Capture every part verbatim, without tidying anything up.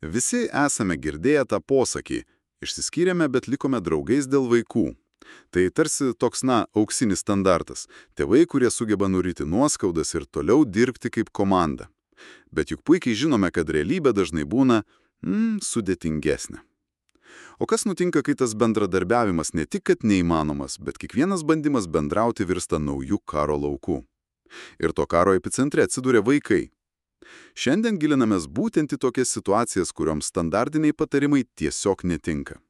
Visi esame girdėję tą posakį – išsiskyrėme, bet likome draugais dėl vaikų. Tai tarsi toks, na, auksinis standartas – tėvai, kurie sugeba nuryti nuoskaudas ir toliau dirbti kaip komanda. Bet juk puikiai žinome, kad realybė dažnai būna mm, sudėtingesnė. O kas nutinka, kai tas bendradarbiavimas ne tik kad neįmanomas, bet kiekvienas bandymas bendrauti virsta naujų karo laukų? Ir to karo epicentre atsiduria vaikai. Šiandien gilinamės būtent į tokias situacijas, kurioms standartiniai patarimai tiesiog netinka.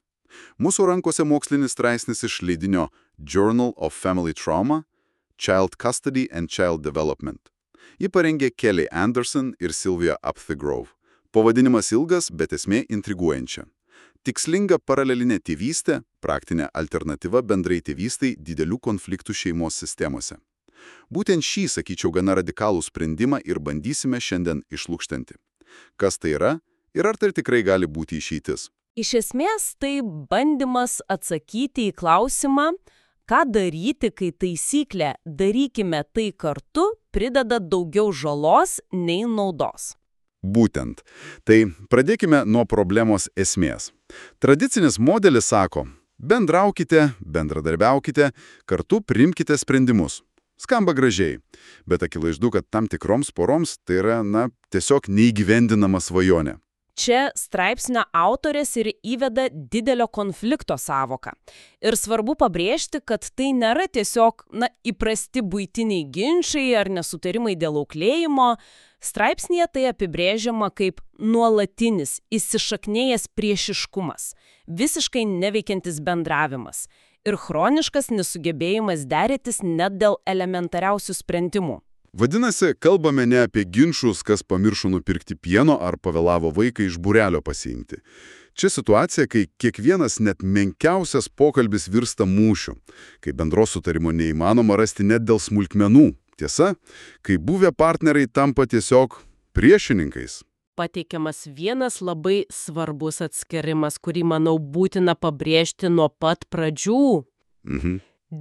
Mūsų rankose mokslinis straipsnis iš leidinio Journal of Family Trauma – Child Custody and Child Development. Jį parengė Kelly Anderson ir Sylvia Upthgrove. Pavadinimas ilgas, bet esmė intriguojančia. Tikslinga paralelinė tėvystė – praktinė alternatyva bendrai tėvystai didelių konfliktų šeimos sistemose. Būtent šį, sakyčiau, gana radikalų sprendimą ir bandysime šiandien išlukštenti. Kas tai yra ir ar tai tikrai gali būti išeitis? Iš esmės, tai bandymas atsakyti į klausimą, ką daryti, kai taisyklė darykime tai kartu prideda daugiau žalos nei naudos. Būtent. Tai pradėkime nuo problemos esmės. Tradicinis modelis sako, bendraukite, bendradarbiaukite, kartu priimkite sprendimus. Skamba gražiai, bet akivaizdu, kad tam tikroms poroms tai yra, na, tiesiog neįgyvendinama svajonė. Čia straipsnio autorės ir įveda didelio konflikto sąvoką. Ir svarbu pabrėžti, kad tai nėra tiesiog, na, įprasti buitiniai ginčai ar nesutarimai dėl auklėjimo. Straipsnėje tai apibrėžiama kaip nuolatinis, įsišaknėjęs priešiškumas, visiškai neveikiantis bendravimas ir chroniškas nesugebėjimas dėrėtis net dėl elementariausių sprendimų. Vadinasi, kalbame ne apie ginčus, kas pamiršo nupirkti pieno ar pavėlavo vaiką iš būrelio pasiimti. Čia situacija, kai kiekvienas net menkiausias pokalbis virsta mūšiu, kai bendros sutarimo neįmanoma rasti net dėl smulkmenų. Tiesa, kai buvę partneriai tampa tiesiog priešininkais. Pateikiamas vienas labai svarbus atskirimas, kurį, manau, būtina pabrėžti nuo pat pradžių. Mhm.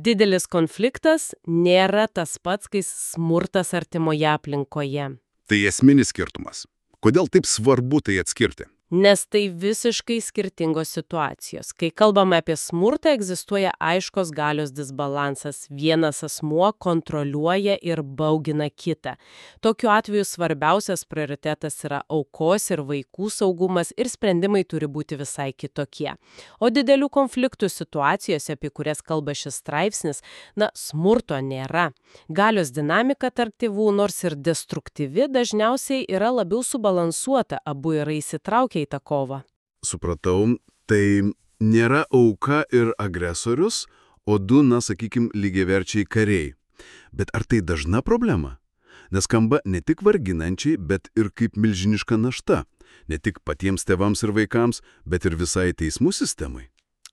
Didelis konfliktas nėra tas pats, kai smurtas artimoje aplinkoje. Tai esminis skirtumas. Kodėl taip svarbu tai atskirti? Nes tai visiškai skirtingos situacijos. Kai kalbame apie smurtą, egzistuoja aiškos galios disbalansas. Vienas asmuo kontroliuoja ir baugina kitą. Tokiu atveju svarbiausias prioritetas yra aukos ir vaikų saugumas ir sprendimai turi būti visai kitokie. O didelių konfliktų situacijose, apie kurias kalba šis straipsnis, na, smurto nėra. Galios dinamika tarp tėvų, nors ir destruktyvi, dažniausiai yra labiau subalansuota, abu yra įsitraukę į tą kovą. Supratau, tai nėra auka ir agresorius, o du, na, sakykim, lygiaverčiai kariai. Bet ar tai dažna problema? Nes skamba ne tik varginančiai, bet ir kaip milžiniška našta. Ne tik patiems tėvams ir vaikams, bet ir visai teismų sistemai.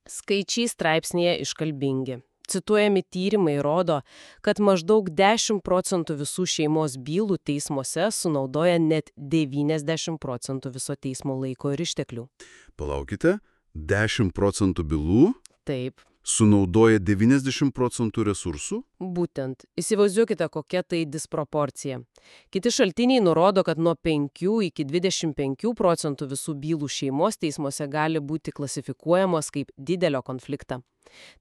Skaičiai straipsnėje iškalbingi. Cituojami tyrimai rodo, kad maždaug dešimt procentų visų šeimos bylų teismuose sunaudoja net devyniasdešimt procentų viso teismo laiko ir išteklių. Palaukite, dešimt procentų bylų? Taip. Sunaudoja devyniasdešimt procentų resursų? Būtent. Įsivaizduokite, kokia tai disproporcija. Kiti šaltiniai nurodo, kad nuo penkių iki dvidešimt penkių procentų visų bylų šeimos teismuose gali būti klasifikuojamos kaip didelio konfliktą.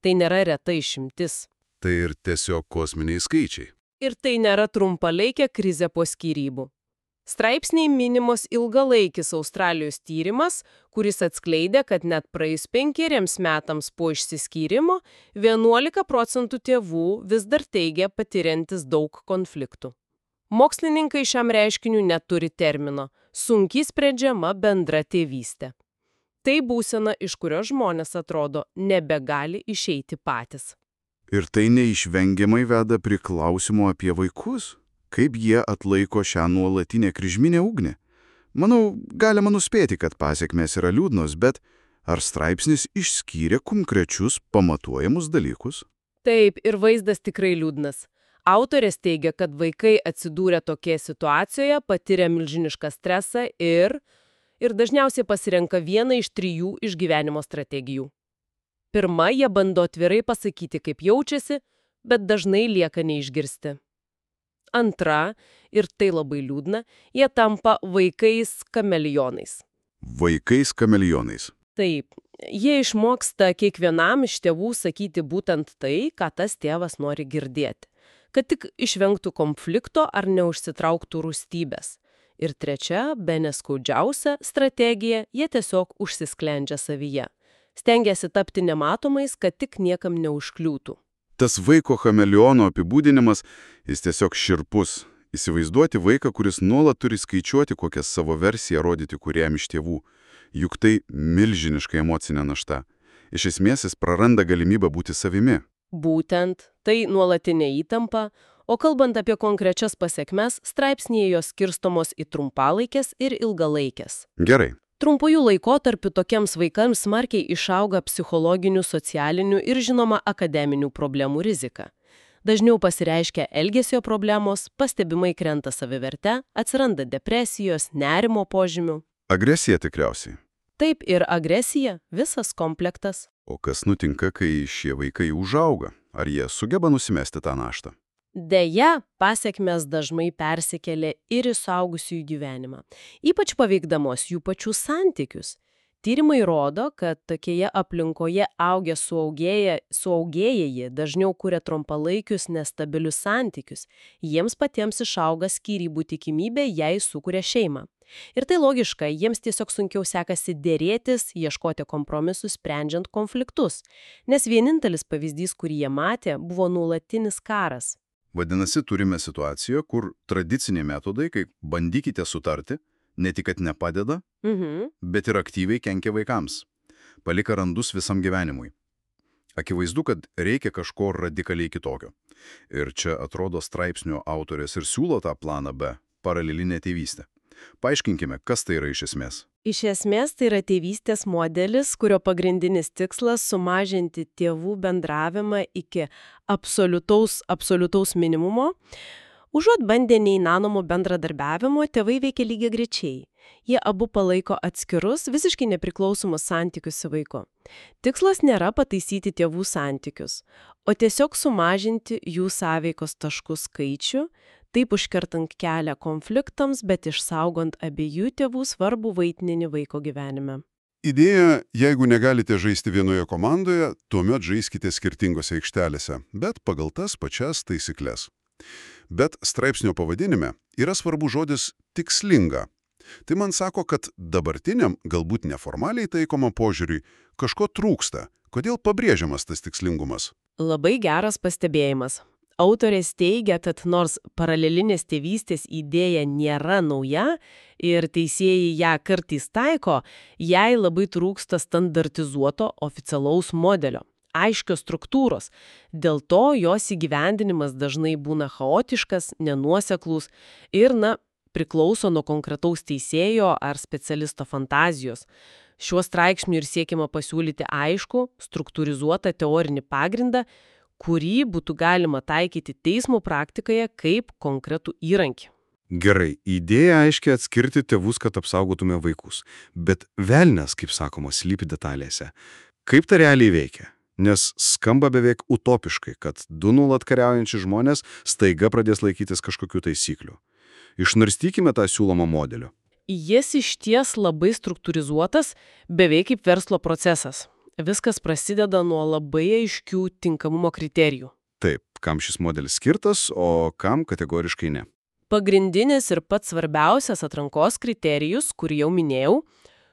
Tai nėra reta išimtis. Tai ir tiesiog kosminiai skaičiai. Ir tai nėra trumpalaikė krizė po skyrybų. Straipsniai minimos ilgalaikis Australijos tyrimas, kuris atskleidė, kad net praėjus penkeriems metams po išsiskyrimo vienuolika procentų tėvų vis dar teigia patiriantis daug konfliktų. Mokslininkai šiam reiškiniui neturi termino – sunkiai sprendžiama bendra tėvystė. Tai būsena, iš kurios žmonės atrodo nebegali išeiti patys. Ir tai neišvengiamai veda prie klausimo apie vaikus? Kaip jie atlaiko šią nuolatinę kryžminę ugnį? Manau, galima nuspėti, kad pasekmės yra liūdnos, bet ar straipsnis išskyrė konkrečius pamatuojamus dalykus? Taip, ir vaizdas tikrai liūdnas. Autorės teigia, kad vaikai atsidūrę tokie situacijoje patiria milžinišką stresą ir, ir dažniausiai pasirenka vieną iš trijų išgyvenimo strategijų. Pirma, jie bando atvirai pasakyti, kaip jaučiasi, bet dažnai lieka neišgirsti. Antra, ir tai labai liūdna, jie tampa vaikais kameleonais. Vaikais kameleonais. Taip, jie išmoksta kiekvienam iš tėvų sakyti būtent tai, ką tas tėvas nori girdėti, kad tik išvengtų konflikto ar neužsitrauktų rūstybės. Ir trečia, bene skaudžiausia strategija, jie tiesiog užsisklendžia savyje. Stengiasi tapti nematomais, kad tik niekam neužkliūtų. Tas vaiko chameleono apibūdinimas, jis tiesiog šiurpus. Įsivaizduoti vaiką, kuris nuolat turi skaičiuoti, kokią savo versiją rodyti kuriam iš tėvų. Juk tai milžiniška emocinė našta. Iš esmės jis praranda galimybę būti savimi. Būtent, tai nuolatinė įtampa, o kalbant apie konkrečias pasekmes, straipsnėje jos skirstomos į trumpalaikės ir ilgalaikės. Gerai. Trumpųjų laikotarpių tokiems vaikams smarkiai išauga psichologinių, socialinių ir, žinoma, akademinių problemų rizika. Dažniau pasireiškia elgesio problemos, pastebimai krenta saviverte, atsiranda depresijos, nerimo požymių. Agresija tikriausiai. Taip ir agresija, visas komplektas. O kas nutinka, kai šie vaikai užauga? Ar jie sugeba nusimesti tą naštą? Deja, pasekmės dažnai persikelia ir į suaugusiųjų gyvenimą, ypač paveikdamos jų pačių santykius. Tyrimai rodo, kad tokioje aplinkoje augę suaugėję, suaugėjai dažniau kuria trumpalaikius nestabilius santykius. Jiems patiems išauga skyrybų tikimybė, jei sukuria šeimą. Ir tai logiška, jiems tiesiog sunkiau sekasi dėrėtis, ieškoti kompromisų, sprendžiant konfliktus. Nes vienintelis pavyzdys, kurį jie matė, buvo nuolatinis karas. Vadinasi, turime situaciją, kur tradiciniai metodai, kai bandykite sutarti, ne tik kad nepadeda, Mhm. bet ir aktyviai kenkia vaikams. Palika randus visam gyvenimui. Akivaizdu, kad reikia kažko radikaliai kitokio. Ir čia atrodo straipsnio autorės ir siūlo tą planą B – paralelinę tėvystę. Paaiškinkime, kas tai yra iš esmės. Iš esmės tai yra tėvystės modelis, kurio pagrindinis tikslas sumažinti tėvų bendravimą iki absoliutaus, absoliutaus minimumo. Užuot bandę neįmanomo bendradarbiavimo, tėvai veikia lygiagrečiai. Jie abu palaiko atskirus, visiškai nepriklausomus santykius su vaiku. Tikslas nėra pataisyti tėvų santykius, o tiesiog sumažinti jų sąveikos taškų skaičių, taip užkertant kelią konfliktams, bet išsaugant abiejų tėvų svarbų vaidmenį vaiko gyvenime. Idėja, jeigu negalite žaisti vienoje komandoje, tuomet žaiskite skirtingose aikštelėse, bet pagal tas pačias taisyklės. Bet straipsnio pavadinime yra svarbu žodis tikslinga. Tai man sako, kad dabartiniam, galbūt neformaliai taikoma požiūriui, kažko trūksta. Kodėl pabrėžiamas tas tikslingumas? Labai geras pastebėjimas. Autorės teigia, kad nors paralelinės tėvystės idėja nėra nauja ir teisėjai ją kartais taiko, jai labai trūksta standartizuoto oficialaus modelio, aiškios struktūros. Dėl to jos įgyvendinimas dažnai būna chaotiškas, nenuoseklus ir, na, priklauso nuo konkretaus teisėjo ar specialisto fantazijos. Šiuo straipsniu ir siekiama pasiūlyti aišku, struktūrizuotą teorinį pagrindą, kurį būtų galima taikyti teismo praktikoje kaip konkretų įrankį. Gerai, idėja aiškiai atskirti tėvus, kad apsaugotume vaikus. Bet velnias, kaip sakoma, slypi detalėse. Kaip tai realiai veikia? Nes skamba beveik utopiškai, kad du nuolat kariaujančiai žmonės staiga pradės laikytis kažkokių taisyklių. Išnarstykime tą siūlomą modelį. Jis išties labai struktūrizuotas, beveik kaip verslo procesas. Viskas prasideda nuo labai aiškių tinkamumo kriterijų. Taip, kam šis modelis skirtas, o kam kategoriškai ne. Pagrindinis ir pats svarbiausias atrankos kriterijus, kurį jau minėjau,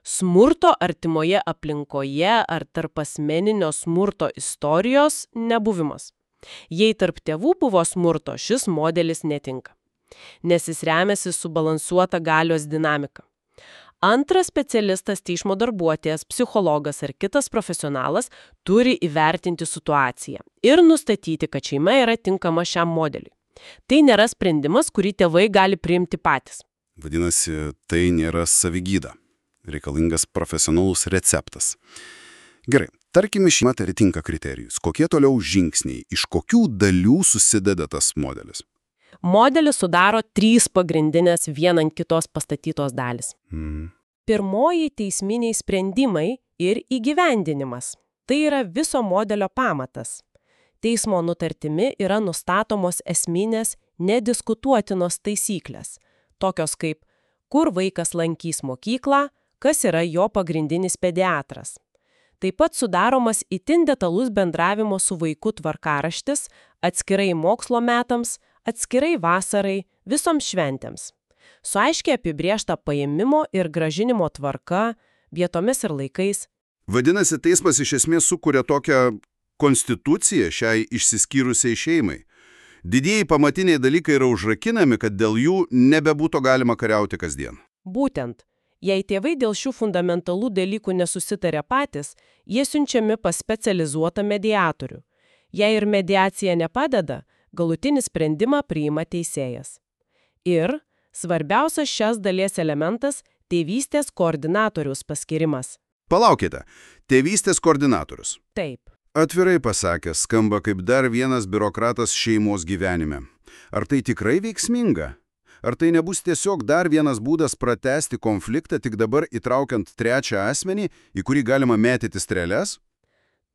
smurto artimoje aplinkoje ar tarp asmeninio smurto istorijos nebuvimas. Jei tarp tėvų buvo smurto, šis modelis netinka, nes jis remiasi subalansuota galios dinamika. Antras specialistas, teismo darbuotojas, psichologas ar kitas profesionalas turi įvertinti situaciją ir nustatyti, kad šeima yra tinkama šiam modeliui. Tai nėra sprendimas, kurį tėvai gali priimti patys. Vadinasi, tai nėra savigyda. Reikalingas profesionalus receptas. Gerai, tarkime, šeima atitinka kriterijus. Kokie toliau žingsniai, iš kokių dalių susideda tas modelis? Modelį sudaro trys pagrindinės viena ant kitos pastatytos dalis. Mm. Pirmoji – teisminiai sprendimai ir įgyvendinimas. Tai yra viso modelio pamatas. Teismo nutartimi yra nustatomos esminės, nediskutuotinos taisyklės, tokios kaip kur vaikas lankys mokyklą, kas yra jo pagrindinis pediatras. Taip pat sudaromas itin detalus bendravimo su vaiku tvarkaraštis, atskirai mokslo metams, atskirai vasarai, visoms šventėms. Su aiškiai apibrėžta paėmimo ir gražinimo tvarka, vietomis ir laikais. Vadinasi, teismas iš esmės sukuria tokią konstituciją šiai išsiskyrusiai šeimai. Didieji pamatiniai dalykai yra užrakinami, kad dėl jų nebebūtų galima kariauti kasdien. Būtent. Jei tėvai dėl šių fundamentalų dalykų nesusitarė patys, jie siunčiami pas specializuotą mediatorių. Jei ir mediacija nepadeda, galutinį sprendimą priima teisėjas. Ir svarbiausias šias dalies elementas – tėvystės koordinatoriaus paskirimas. Palaukite, tėvystės koordinatorius. Taip. Atvirai pasakęs, skamba kaip dar vienas biurokratas šeimos gyvenime. Ar tai tikrai veiksminga? Ar tai nebus tiesiog dar vienas būdas pratęsti konfliktą, tik dabar įtraukiant trečią asmenį, į kurį galima mėtyti strėles?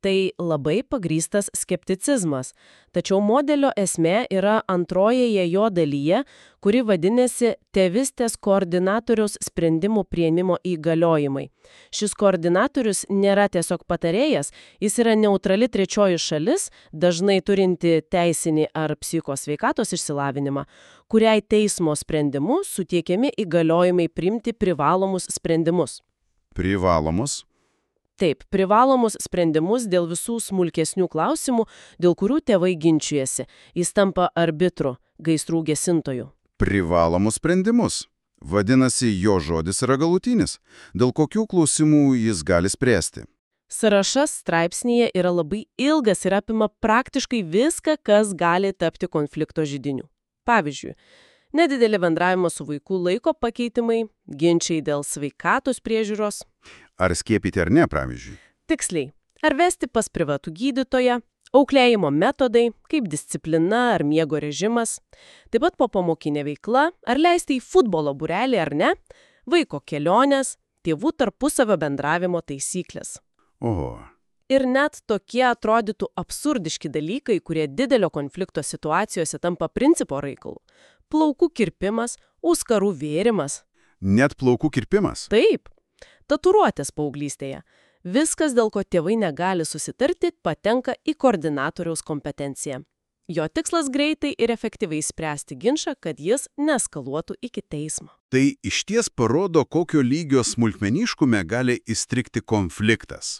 Tai labai pagrįstas skepticizmas, tačiau modelio esmė yra antrojoje jo dalyje, kuri vadinasi tėvystės koordinatoriaus sprendimų priėmimo įgaliojimai. Šis koordinatorius nėra tiesiog patarėjas, jis yra neutrali trečioji šalis, dažnai turinti teisinį ar psichosveikatos išsilavinimą, kuriai teismo sprendimu suteikiami įgaliojimai priimti privalomus sprendimus. Privalomus? Taip, privalomus sprendimus dėl visų smulkesnių klausimų, dėl kurių tėvai ginčijasi. Jis tampa arbitru, gaisrų gesintoju. Privalomus sprendimus. Vadinasi, jo žodis yra galutinis. Dėl kokių klausimų jis gali spręsti? Sąrašas straipsnyje yra labai ilgas ir apima praktiškai viską, kas gali tapti konflikto židiniu. Pavyzdžiui, nedidelį bendravimą su vaikų laiko pakeitimai, ginčiai dėl sveikatos priežiūros. Ar skiepyti ar ne, pavyzdžiui? Tiksliai. Ar vesti pas privatų gydytoją, auklėjimo metodai, kaip disciplina ar miego režimas, taip pat popamokinė veikla, ar leisti į futbolo būrelį ar ne, vaiko kelionės, tėvų tarpusavio bendravimo taisyklės. Oho. Ir net tokie atrodytų absurdiški dalykai, kurie didelio konflikto situacijose tampa principo reikalu. Plaukų kirpimas, auskarų vėrimas. Net plaukų kirpimas? Taip. Tatuiruotės paauglystėje. Viskas, dėl ko tėvai negali susitarti, patenka į koordinatoriaus kompetenciją. Jo tikslas greitai ir efektyviai spręsti ginčą, kad jis neskaluotų iki teismo. Tai išties parodo, kokio lygio smulkmeniškume gali įstrigti konfliktas.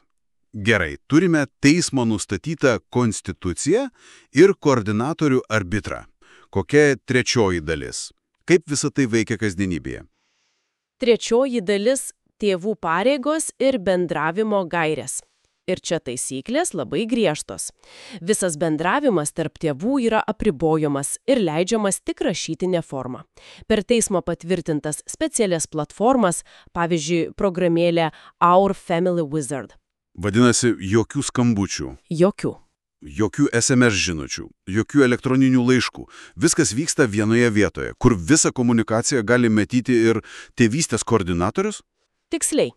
Gerai, turime teismo nustatytą konstituciją ir koordinatorių arbitrą. Kokia trečioji dalis? Kaip visa tai veikia kasdienybėje? Trečioji dalis – tėvų pareigos ir bendravimo gairės. Ir čia taisyklės labai griežtos. Visas bendravimas tarp tėvų yra apribojamas ir leidžiamas tik rašytinė forma. Per teismo patvirtintas specialias platformas, pavyzdžiui, programėlė Our Family Wizard. Vadinasi, jokių skambučių. Jokių. Jokių es em es žinučių, jokių elektroninių laiškų. Viskas vyksta vienoje vietoje, kur visą komunikaciją gali matyti ir tėvystės koordinatorius? Tiksliai.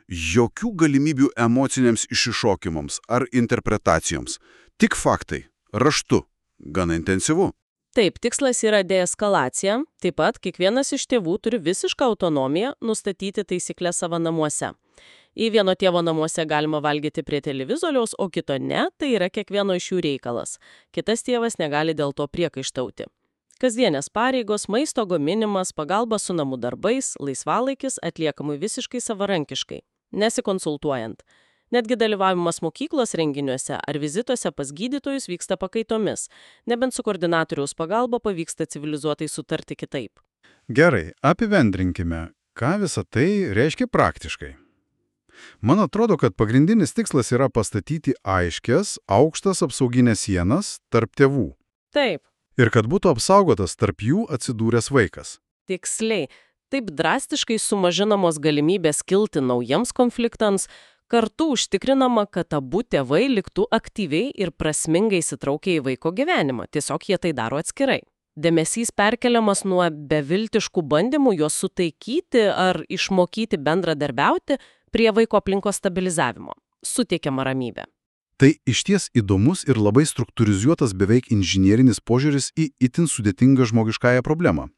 Jokių galimybių emociniams išsišokimams ar interpretacijoms. Tik faktai, raštu, gana intensyvu. Taip, tikslas yra deeskalacija. Taip pat kiekvienas iš tėvų turi visišką autonomiją nustatyti taisyklės savo namuose. Į vieno tėvo namuose galima valgyti prie televizoriaus, o kito ne, tai yra kiekvieno iš jų reikalas. Kitas tėvas negali dėl to priekaištauti. Kasdienės pareigos, maisto gaminimas, pagalba su namų darbais, laisvalaikis atliekamai visiškai savarankiškai, nesikonsultuojant. Netgi dalyvavimas mokyklos renginiuose ar vizituose pas gydytojus vyksta pakaitomis, nebent su koordinatoriaus pagalba pavyksta civilizuotai sutarti kitaip. Gerai, apibendrinkime, ką visa tai reiškia praktiškai. Man atrodo, kad pagrindinis tikslas yra pastatyti aiškias, aukštas apsauginės sienas tarp tėvų. Taip. Ir kad būtų apsaugotas tarp jų atsidūręs vaikas. Tiksliai. Taip drastiškai sumažinamos galimybės kilti naujiems konfliktams, kartu užtikrinama, kad abu tėvai liktų aktyviai ir prasmingai įsitraukę į vaiko gyvenimą. Tiesiog jie tai daro atskirai. Dėmesys perkeliamas nuo beviltiškų bandymų juos sutaikyti ar išmokyti bendradarbiauti prie vaiko aplinkos stabilizavimo. Suteikiama ramybė. Tai išties įdomus ir labai struktūrizuotas beveik inžinierinis požiūris į itin sudėtingą žmogiškąją problemą.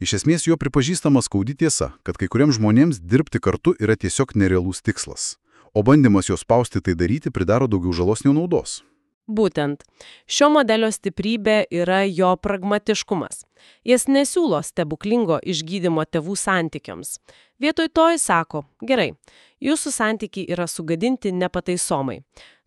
Iš esmės jo pripažįstama skaudi tiesa, kad kai kuriems žmonėms dirbti kartu yra tiesiog nerealus tikslas, o bandymas jos spausti tai daryti pridaro daugiau žalos nei naudos. Būtent. Šio modelio stiprybė yra jo pragmatiškumas. Jis nesiūlo stebuklingo išgydymo tėvų santykiams. Vietoj to jis sako, gerai, jūsų santykiai yra sugadinti nepataisomai.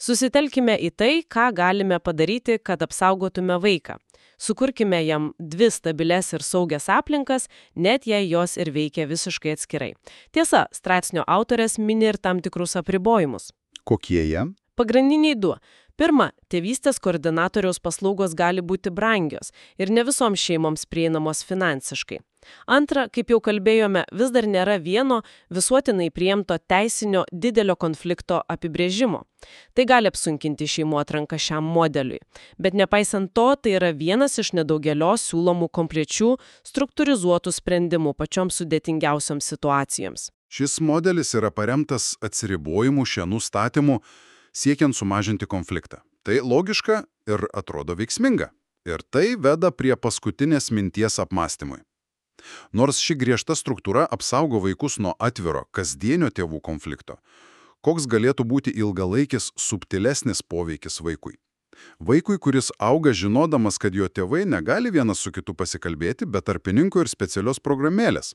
Susitelkime į tai, ką galime padaryti, kad apsaugotume vaiką. Sukurkime jam dvi stabiles ir saugias aplinkas, net jei jos ir veikia visiškai atskirai. Tiesa, straipsnio autorės mini ir tam tikrus apribojimus. Kokie jie? Pagrindiniai du. Pirma, tėvystės koordinatoriaus paslaugos gali būti brangios ir ne visoms šeimoms prieinamos finansiškai. Antra, kaip jau kalbėjome, vis dar nėra vieno visuotinai priimto teisinio didelio konflikto apibrėžimo. Tai gali apsunkinti šeimų atranką šiam modeliui. Bet nepaisant to, tai yra vienas iš nedaugelio siūlomų konkrečių struktūrizuotų sprendimų pačioms sudėtingiausioms situacijoms. Šis modelis yra paremtas atsiribojimų šianų statymų siekiant sumažinti konfliktą. Tai logiška ir atrodo veiksminga. Ir tai veda prie paskutinės minties apmąstymui. Nors ši griežta struktūra apsaugo vaikus nuo atviro, kasdienio tėvų konflikto, koks galėtų būti ilgalaikis, subtilesnis poveikis vaikui? Vaikui, kuris auga žinodamas, kad jo tėvai negali vienas su kitu pasikalbėti, be tarpininko ir specialios programėlės.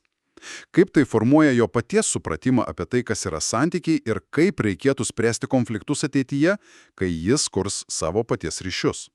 Kaip tai formuoja jo paties supratimą apie tai, kas yra santykiai ir kaip reikėtų spręsti konfliktus ateityje, kai jis kurs savo paties ryšius.